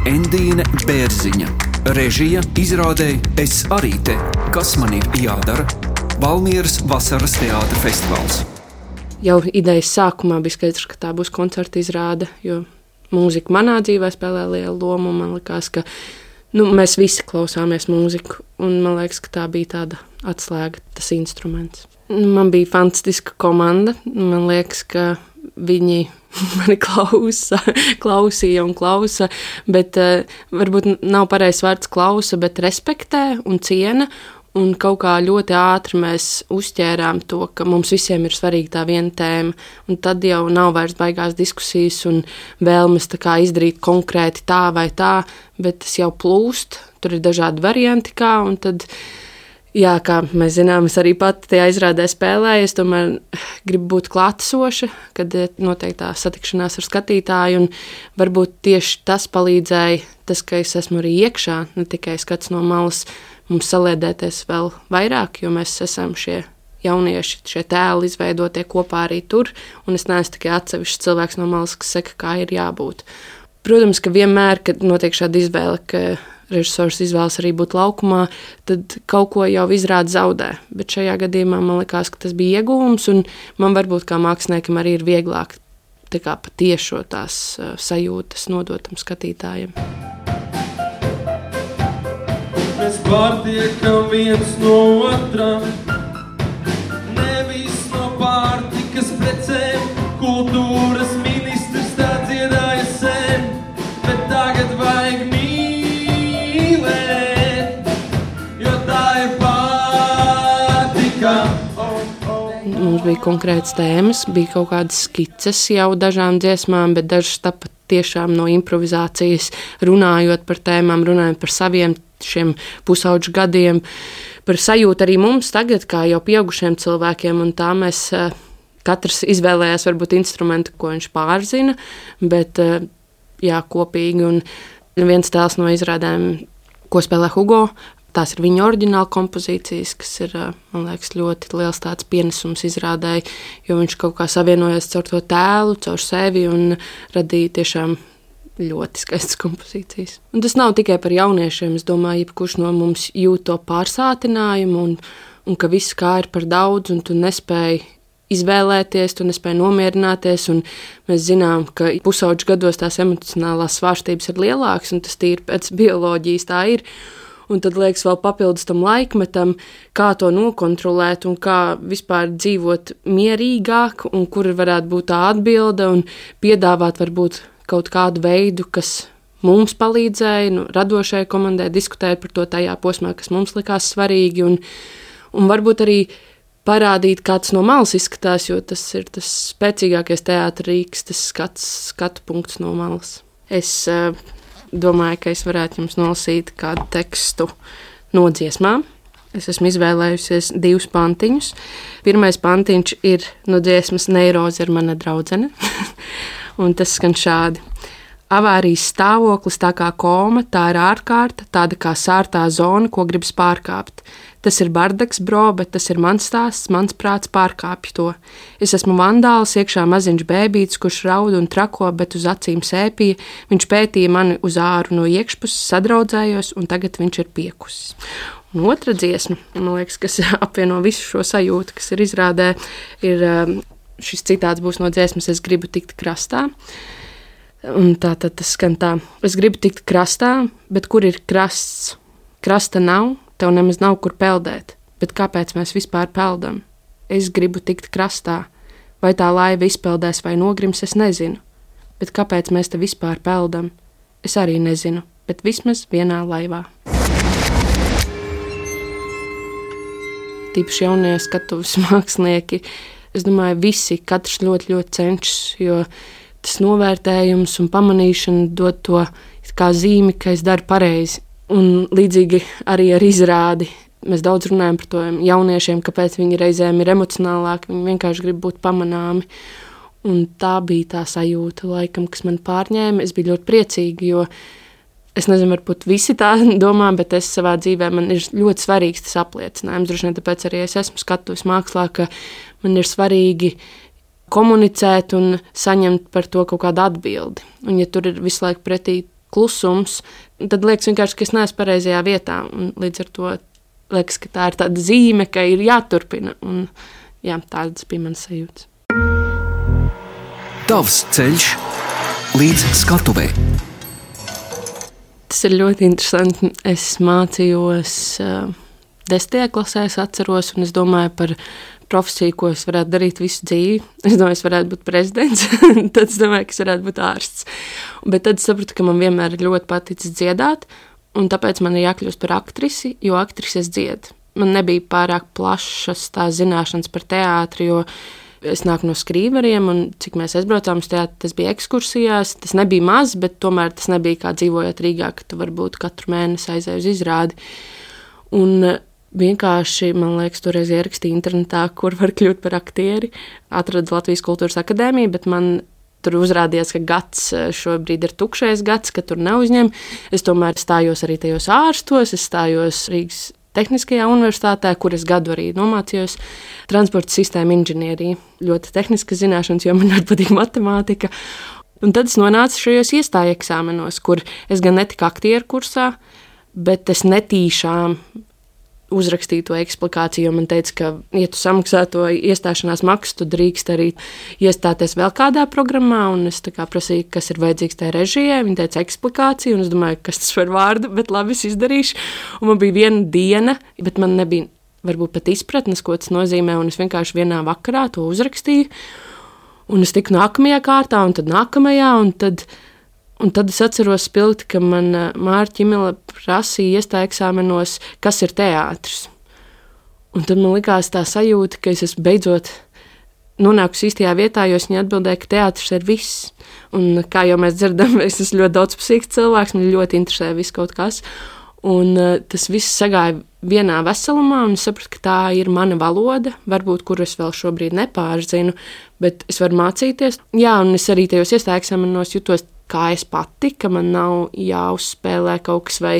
Endīne Bērziņa. Režija izrādē Es arī te. Kas man ir jādara? Valmieras vasaras teātra festivāls. Jau idejas sākumā bija skaidrs, ka tā būs koncerta izrāde, jo mūzika manā dzīvē spēlē lielu lomu. Man liekas, ka mēs visi klausāmies mūziku, un man liekas, ka tā bija tāda atslēga, tas instruments. Man bija fantastiska komanda. Man liekas, ka viņi mani klausīja un klausa, bet varbūt nav pareizs vārds klausa, bet respektē un ciena. Un kaut kā ļoti ātri mēs uzķērām to, ka mums visiem ir svarīga tā viena tēma. Un tad jau nav vairs baigās diskusijas un vēlmes tā kā izdarīt konkrēti tā vai tā, bet tas jau plūst. Tur ir dažādi varianti kā, un tad, jā, kā mēs zinām, es arī pati tajā izrādē spēlēju. Es tomēr gribu būt klātesoša, kad notiek tā satikšanās ar skatītāju, un varbūt tieši tas palīdzēja, tas, ka es esmu arī iekšā, ne tikai skats no malas, mums saliedēties vēl vairāk, jo mēs esam šie jaunieši, šie tēli izveidotie kopā arī tur, un es neesmu tikai atsevišķs cilvēks no malas, kas saka, kā ir jābūt. Protams, ka vienmēr, kad notiek šāda izvēle, ka režisors izvēlas arī būt laukumā, tad kaut ko jau izrāda zaudē. Bet šajā gadījumā man likās, ka tas bija ieguvums, un man varbūt kā māksliniekam arī ir vieglāk tā kā patiešo tās sajūtas nodotam skatītājiem. Mēs pārtiekam viens no otra, nevis no pārtikas precēm. Kultūras ministrs tā dziedāja sen, bet tagad vajag mīlēt, jo tā ir pārtika. Mums bija konkrētas tēmas, bija kaut kādas skices jau dažām dziesmām, bet dažas tāpat tiešām no improvizācijas, runājot par tēmām, runājot par saviem šiem pusauģu gadiem, par sajūtu arī mums tagad, kā jau pieaugušiem cilvēkiem, un tā mēs katrs izvēlējās varbūt instrumentu, ko viņš pārzina, bet jā, kopīgi, un viens tēls no izrādēm, ko spēlē Hugo, tās ir viņa oriģināla kompozīcijas, kas ir, man liekas, ļoti liels tāds pienesums izrādēji, jo viņš kaut kā savienojas caur to tēlu, caur sevi un radīja tiešām ļoti skaistas kompozīcijas. Un tas nav tikai par jauniešiem, es domāju, jebkurš no mums jūt to pārsātinājumu un ka viss kā ir par daudz un tu nespēji izvēlēties, tu nespēji nomierināties, un mēs zinām, ka pusauģu gados tās emocionālās svārstības ir lielākas, un tas tīri pēc bioloģijas tā ir. Un tad liekas vēl papildus tam laikmetam, kā to nokontrolēt un kā vispār dzīvot mierīgāk un kur varētu būt tā atbilde un piedāvāt varbūt kaut kādu veidu, kas mums palīdzēja, radošajai komandai diskutēt par to tajā posmā, kas mums likās svarīgi un varbūt arī parādīt, kā tas no malas izskatās, jo tas ir tas spēcīgākais teātra rīks, tas skatu punkts no malas. Es domāju, ka es varētu jums nolasīt kādu tekstu no dziesmām. Es esmu izvēlējusies 2 pantiņus. Pirmais pantiņš ir no dziesmas Neiroze ir mana draudzene, un tas skan šādi. Avārijas stāvoklis tā kā koma, tā ir ārkārta, tāda kā sārtā zona, ko gribas pārkāpt. Tas ir bardaks, bro, bet tas ir mans stāsts, mans prāts pārkāpj to. Es esmu vandāls, iekšā maziņš bēbītis, kurš raud un trako, bet uz acīm sēpīja. Viņš pētīja mani uz āru no iekšpuses, sadraudzējos, un tagad viņš ir piekusis. Un otra dziesma, man liekas, kas apvieno visu šo sajūtu, kas ir izrādē, ir šis citāts būs no dziesmas Es gribu tikt krastā. Un tātad tas skan tā. Es gribu tikt krastā, bet kur ir krasts? Krasta nav, tev nemaz nav kur peldēt. Bet kāpēc mēs vispār peldam? Es gribu tikt krastā. Vai tā laiva izpeldēs vai nogrims, es nezinu. Bet kāpēc mēs te vispār peldam? Es arī nezinu, bet vismaz vienā laivā. Tīpaši jaunie skatuves mākslinieki, es domāju, visi, katrs ļoti, ļoti cenšas, jo tas novērtējums un pamanīšana dod to kā zīmi, ka es daru pareizi. Un līdzīgi arī ar izrādi. Mēs daudz runājam par to jauniešiem, kāpēc viņi reizēm ir emocionālāki, viņi vienkārši grib būt pamanāmi. Un tā bija tā sajūta, laikam, kas man pārņēma. Es biju ļoti priecīga, jo es nezinu, varbūt visi tā domā, bet es savā dzīvē man ir ļoti svarīgs tas apliecinājums. Droši vien tāpēc arī es esmu skatuves mākslā, ka man ir svarīgi komunicēt un saņemt par to kaut kādu atbildi. Un ja tur ir visu laiku pretī klusums, tad liekas vienkārši, ka es neesmu pareizajā vietā. Un līdz ar to liekas, ka tā ir tāda zīme, ka ir jāturpina. Un, jā, tādas bija manas sajūtas. Tavs ceļš līdz skatuvei. Tas ir ļoti interesanti. Es mācījos 10. klasē, es atceros, un es domāju par profesiju, ko es varētu darīt visu dzīvi. Es domāju, es varētu būt prezidents, tad es domāju, ka es varētu būt ārsts. Bet tad es sapratu, ka man vienmēr ir ļoti paticis dziedāt, un tāpēc man ir jākļūst par aktrisi, jo aktrises dzied. Man nebija pārāk plašas tās zināšanas par teātri, jo es nāku no Skrīveriem, un cik mēs aizbraucām uz teātri, tas bija ekskursijās. Tas nebija maz, bet tomēr tas nebija kā dzīvojot Rīgā, ka tu varbūt katru mēnesi aizēji uz izrādi. Un vienkārši, man liekas, toreiz ierakstīja internetā, kur var kļūt par aktieri. Atradu Latvijas Kultūras akadēmiju, bet man tur uzrādījās, ka gads šobrīd ir tukšais gads, ka tur neuzņem. Es tomēr stājos arī tajos ārstos, es stājos Rīgas Tehniskajā universitātē, kur es gadu arī nomācījos transporta sistēmu inženieriju. Ļoti tehniska zināšanas, jo man ļoti patīk matemātika. Un tad es nonācu šajos iestāju eksāmenos, kur es gan netiku aktieru kursā, bet es netīšām uzrakstīju to eksplikāciju, jo man teica, ka, ja tu samaksā to iestāšanās maksu, tu drīkst arī iestāties vēl kādā programmā, un es tā kā prasīju, kas ir vajadzīgs tajā režijai. Viņa teica eksplikāciju, un es domāju, kas tas par vārdu, bet labi, es izdarīšu. Un man bija viena diena, bet man nebija varbūt pat izpratnes, ko tas nozīmē, un es vienkārši vienā vakarā to uzrakstīju, un es tiku nākamajā kārtā, un tad nākamajā, un tad es atceros spilgti, ka man Mārta Ķimele prasīja iestāju eksāmenos, kas ir teātris. Un tad man likās tā sajūta, ka es esmu beidzot nonākusi īstajā vietā, jo viņa atbildēja, ka teātris ir viss. Un kā jau mēs dzirdam, es esmu ļoti daudzpusīgs cilvēks, man ļoti interesē viss kaut kas. Un tas viss sagāja vienā veselumā, un es sapratu, ka tā ir mana valoda, varbūt, kuru es vēl šobrīd nepārzinu, bet es varu mācīties. Jā, un es arī tajos iestāju eksāmenos jutos kā es pati, ka man nav jāuzspēlē kaut kas, vai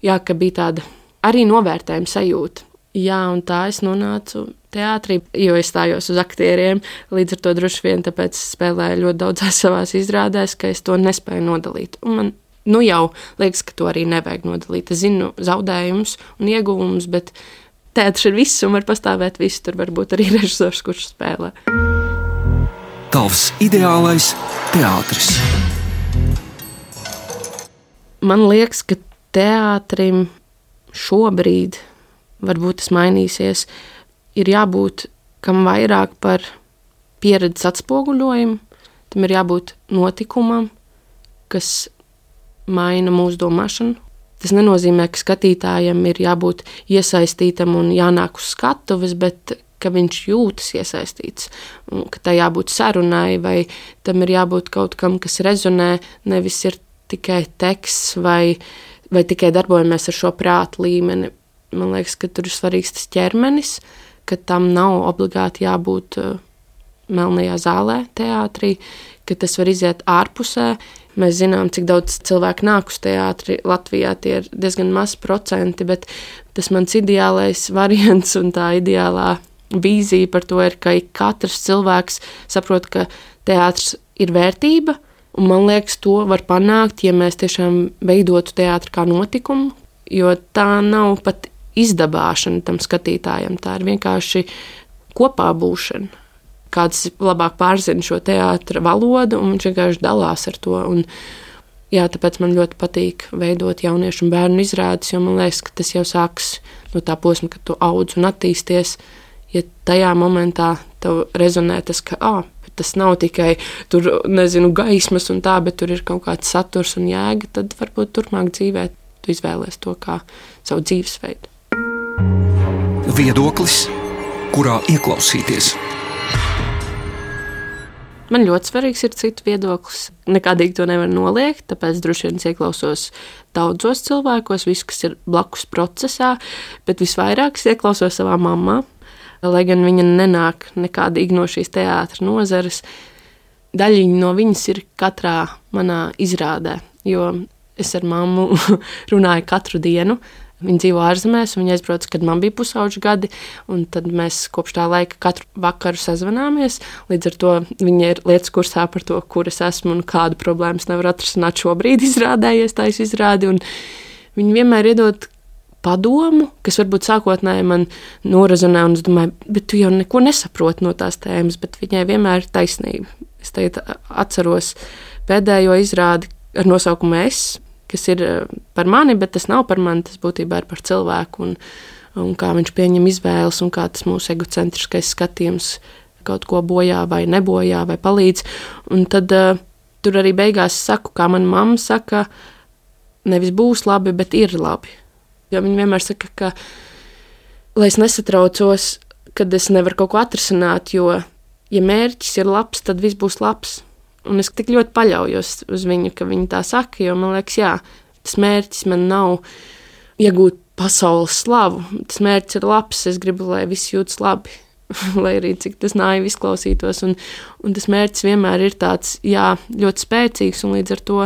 jā, ka bija tāda arī novērtējuma sajūta. Jā, un tā es nonācu teātrī, jo es stājos uz aktieriem, līdz ar to droši vien tāpēc spēlēju ļoti daudzās savās izrādēs, ka es to nespēju nodalīt. Un man jau liekas, ka to arī nevajag nodalīt. Es zinu zaudējumus un ieguvumus, bet teātris ir viss un var pastāvēt viss, tur varbūt arī režisors, kurš spēlē. Tavs ideālais teātris. Man liekas, ka teātrim šobrīd, varbūt tas mainīsies, ir jābūt kam vairāk par pieredzes atspoguļojumu, tam ir jābūt notikumam, kas maina mūsu domāšanu. Tas nenozīmē, ka skatītājam ir jābūt iesaistītam un jānāk uz skatuves, bet ka viņš jūtas iesaistīts, un ka tā jābūt sarunai, vai tam ir jābūt kaut kam, kas rezonē, nevis ir tikai teksts vai tikai darbojamies ar šo prātu līmeni. Man liekas, ka tur ir svarīgs tas ķermenis, ka tam nav obligāti jābūt melnajā zālē, teātrī, ka tas var iziet ārpusē. Mēs zinām, cik daudz cilvēku nāk uz teātri Latvijā, tie ir diezgan maz procenti, bet tas mans ideālais variants un tā ideālā vīzija par to ir, ka katrs cilvēks saprot, ka teātris ir vērtība. Un man liekas, to var panākt, ja mēs tiešām veidotu teātri kā notikumu, jo tā nav pat izdabāšana tam skatītājam, tā ir vienkārši kopā būšana. Kāds labāk pārzina šo teātra valodu, un viņš vienkārši dalās ar to. Un, jā, tāpēc man ļoti patīk veidot jauniešu un bērnu izrādes, jo man liekas, ka tas jau sāks no tā posma, kad tu audz un attīsties. Ja tajā momentā tev rezonē tas, ka tas nav tikai tur, nezinu, gaismas un tā, bet tur ir kaut kāds saturs un jēga, tad varbūt turpmāk dzīvē tu izvēlies to kā savu dzīvesveidu. Viedoklis, kurā ieklausīties. Man ļoti svarīgs ir citu viedoklis. Nekādīgi to nevar noliegt, tāpēc droši vien ieklausos daudzos cilvēkos, visu, kas ir blakus procesā, bet visvairāk ieklausos savā mammā. Lai gan viņa nenāk nekādīgi no šīs teātra nozares, daļiņa no viņas ir katrā manā izrādē, jo es ar mammu runāju katru dienu. Viņa dzīvo ārzemēs, un viņa aizbrauca, kad man bija pusauģi gadi, un tad mēs kopš tā laika katru vakaru sazvanāmies. Līdz ar to viņa ir lietas kursā par to, kur es esmu un kādu problēmas nevar atrisināt šobrīd izrādējies taisa izrādi, un viņa vienmēr iedod padomu, kas varbūt sākotnēji man norazonē, un es domāju, bet tu jau neko nesaproti no tās tēmas, bet viņai vienmēr ir taisnība. Es tagad atceros pēdējo izrādi ar nosaukumu Es, kas ir par mani, bet tas nav par mani, tas būtībā ir par cilvēku un kā viņš pieņem izvēles un kā tas mūsu egocentriskais skatījums kaut ko bojā vai nebojā vai palīdz. Un tad tur arī beigās saku, kā mana mamma saka, nevis būs labi, bet ir labi. Jo viņa vienmēr saka, ka, lai es nesatraucos, kad es nevaru kaut ko atrisināt, jo, ja mērķis ir labs, tad viss būs labs. Un es tik ļoti paļaujos uz viņu, ka viņa tā saka, jo man liekas, jā, tas mērķis man nav iegūt pasaules slavu. Tas mērķis ir labs, es gribu, lai viss jūtas labi, lai arī cik tas naivi izklausītos. Un tas mērķis vienmēr ir tāds, jā, ļoti spēcīgs, un līdz ar to,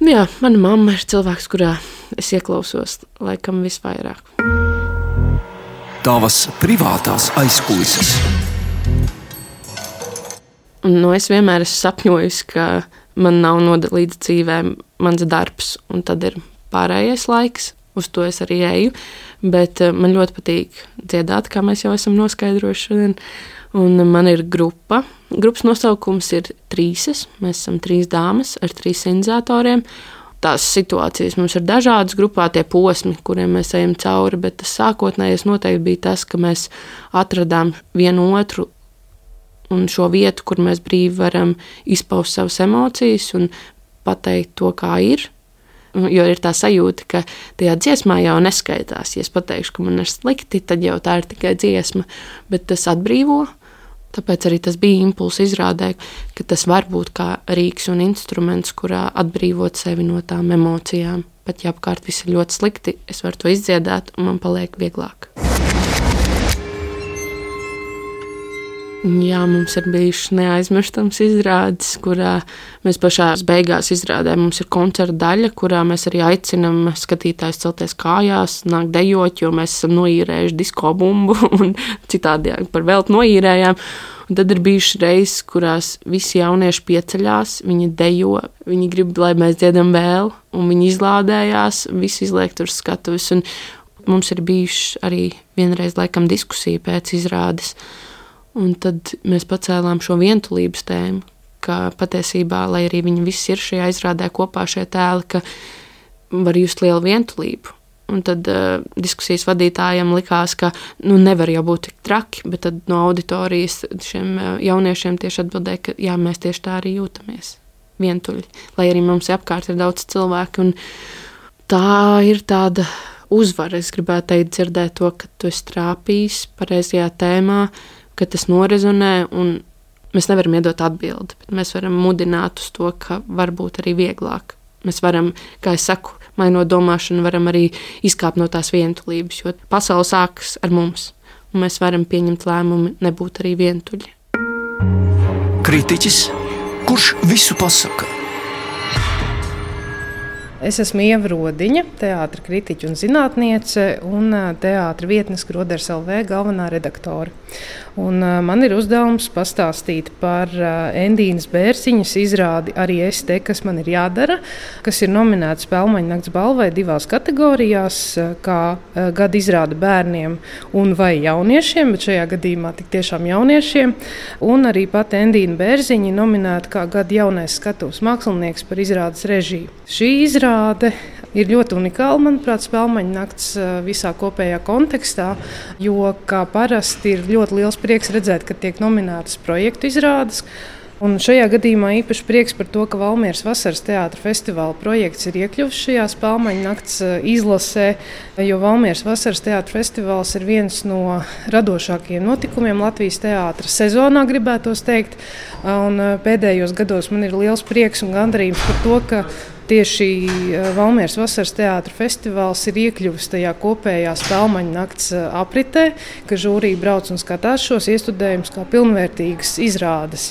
jā, mana mamma ir cilvēks, kurā es ieklausos laikam visvairāk. Tavas privātās aizkulises. Es vienmēr esmu sapņojis, ka man nav nodalīts dzīvē mans darbs, un tad ir pārējais laiks, uz to es arī eju, bet man ļoti patīk dziedāt, kā mēs jau esam noskaidrojuši šodien, un man ir grupa. Grupas nosaukums ir Trīses, mēs esam 3 dāmas ar 3 sindizatoriem. Tās situācijas mums ir dažādas grupā, tie posmi, kuriem mēs ejam cauri, bet tas sākotnējais noteikti bija tas, ka mēs atradām vienu otru un šo vietu, kur mēs brīvi varam izpaust savas emocijas un pateikt to, kā ir. Jo ir tā sajūta, ka tajā dziesmā jau neskaitās. Ja es pateikšu, ka man ir slikti, tad jau tā ir tikai dziesma, bet tas atbrīvo. Tāpēc arī tas bija impulss izrādē, ka tas var būt kā rīks un instruments, kurā atbrīvot sevi no tām emocijām. Pat ja apkārt viss ir ļoti slikti, es varu to izdziedāt un man paliek vieglāk. Jā, mums ir bijušas neaizmirstams izrādes, kurā mēs pašās beigās izrādē. Mums ir koncerta daļa, kurā mēs arī aicinam skatītājus celties kājās, nākt dejot, jo mēs esam noīrējuši disko bumbu un citādi par velti noīrējām. Un tad ir bijušas reizes, kurās visi jaunieši pieceļās, viņi dejo, viņi grib, lai mēs dziedam vēl, un viņi izlādējās, visi izliek tur skatuves. Un mums ir bijušas arī vienreiz laikam diskusija pēc izrādes. Un tad mēs pacēlām šo vientulības tēmu, ka patiesībā, lai arī viņi visi ir šajā izrādē kopā šie tēli, ka var just lielu vientulību. Un tad diskusijas vadītājiem likās, ka nevar jau būt tik traki, bet tad no auditorijas šiem jauniešiem tieši atbildēja, ka jā, mēs tieši tā arī jūtamies vientuļi. Lai arī mums apkārt ir daudz cilvēku, un tā ir tāda uzvara. Es gribētu teikt, dzirdēt to, ka tu esi trāpījis pareizajā tēmā, ka tas norezonē, un mēs nevaram iedot atbildi, bet mēs varam mudināt uz to, ka var būt arī vieglāk. Mēs varam, kā es saku, mainot domāšanu, varam arī izkāpt no tās vientulības, jo pasaule sākas ar mums, un mēs varam pieņemt lēmumu nebūt arī vientuļi. Kritiķis, kurš visu pasaka? Es esmu Ieva Rodiņa, teātra kritiķe un zinātniece un teātra vietnes Groders LV galvenā redaktore. Un man ir uzdevums pastāstīt par Endīnas Bērziņas izrādi Arī es te, kas man ir jādara, kas ir nominēta Spēlmaņa nakts balvai 2 kategorijās, kā gada izrāde bērniem un vai jauniešiem, bet šajā gadījumā tik tiešām jauniešiem. Un arī pati Endīna Bērziņa nominēta kā gada jaunais skatuves mākslinieks par izrādes režiju. Šī izrāde ir ļoti unikāla, manuprāt, Spēlmaņa nakts visā kopējā kontekstā, jo kā parasti ir ļoti liels prieks redzēt, ka tiek nominētas projektu izrādes. Un šajā gadījumā īpaši prieks par to, ka Valmieras vasaras teātra festivāla projekts ir iekļuvis šajā Spēlmaņa nakts izlasē, jo Valmieras vasaras teātra festivāls ir viens no radošākajiem notikumiem Latvijas teātra sezonā, gribētos teikt. Un pēdējos gados man ir liels prieks un gandarījums par to, ka tieši Valmieras vasaras teātra festivāls ir iekļuvis tajā kopējā Spēlmaņu nakts apritē, ka žūrija brauc un skatās šos iestudējumus kā pilnvērtīgas izrādes.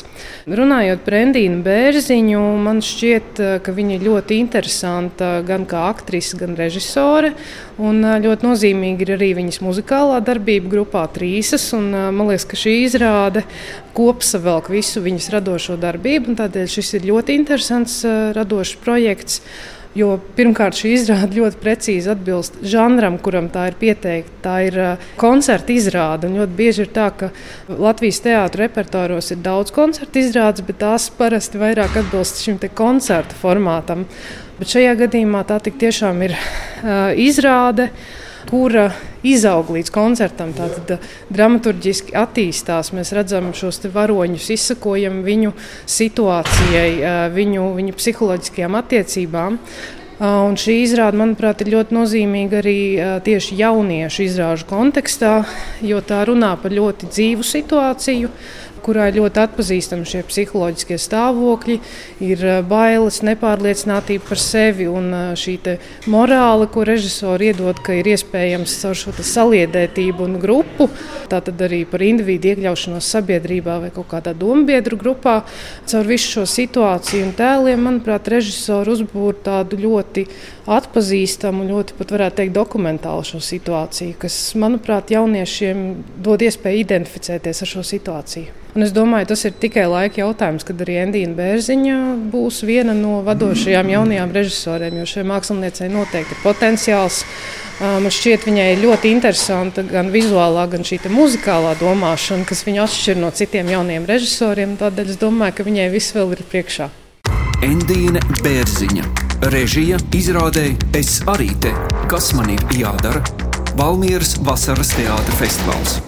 Runājot par Endīnu Bērziņu, man šķiet, ka viņa ir ļoti interesanta gan kā aktrise, gan režisore. Un ļoti nozīmīgi ir arī viņas muzikālā darbība grupā Trīsas. Man liekas, ka šī izrāde kopsavelk visu viņas radošo darbību. Tādēļ šis ir ļoti interesants radošs projekts. Jo pirmkārt, šī izrāde ļoti precīzi atbilst žanram, kuram tā ir pieteikta. Tā ir koncerta izrāde. Ļoti bieži ir tā, ka Latvijas teātra repertuāros ir daudz koncerta izrādes, bet tās parasti vairāk atbilst šim koncerta formātam. Bet šajā gadījumā tā tiešām ir izrāde, kura izaug līdz koncertam. Tātad dramaturģiski attīstās. Mēs redzam šos varoņus, izsakojam viņu situācijai, viņu psiholoģiskajām attiecībām. Un šī izrāde, manuprāt, ir ļoti nozīmīga arī tieši jauniešu izrāžu kontekstā, jo tā runā par ļoti dzīvu situāciju, kurā ir ļoti atpazīstami šie psiholoģiskie stāvokļi, ir bailes, nepārliecinātība par sevi un šī morāle, ko režisori iedod, ka ir iespējams caur šo saliedētību un grupu, tātad arī par individu iekļaušanos sabiedrībā vai kaut kādā dombiedru grupā. Caur visu šo situāciju un tēliem, manuprāt, režisori uzbūr tādu ļoti atpazīstamu, ļoti pat varētu teikt dokumentālu šo situāciju, kas, manuprāt, jauniešiem dod iespēju identificēties ar šo situāciju. Un es domāju, tas ir tikai laika jautājums, kad arī Endīna Bērziņa būs viena no vadošajām jaunajām režisoriem, jo šai māksliniecei noteikti ir potenciāls. Man šķiet, viņai ir ļoti interesanta gan vizuālā, gan šī muzikālā domāšana, kas viņu atšķir no citiem jauniem režisoriem. Tādēļ es domāju, ka viņai viss vēl ir priekšā. Endīna Bērziņa. Režija izrādē Es arī te. Kas man ir jādara? Valmieras vasaras teātra festivāls.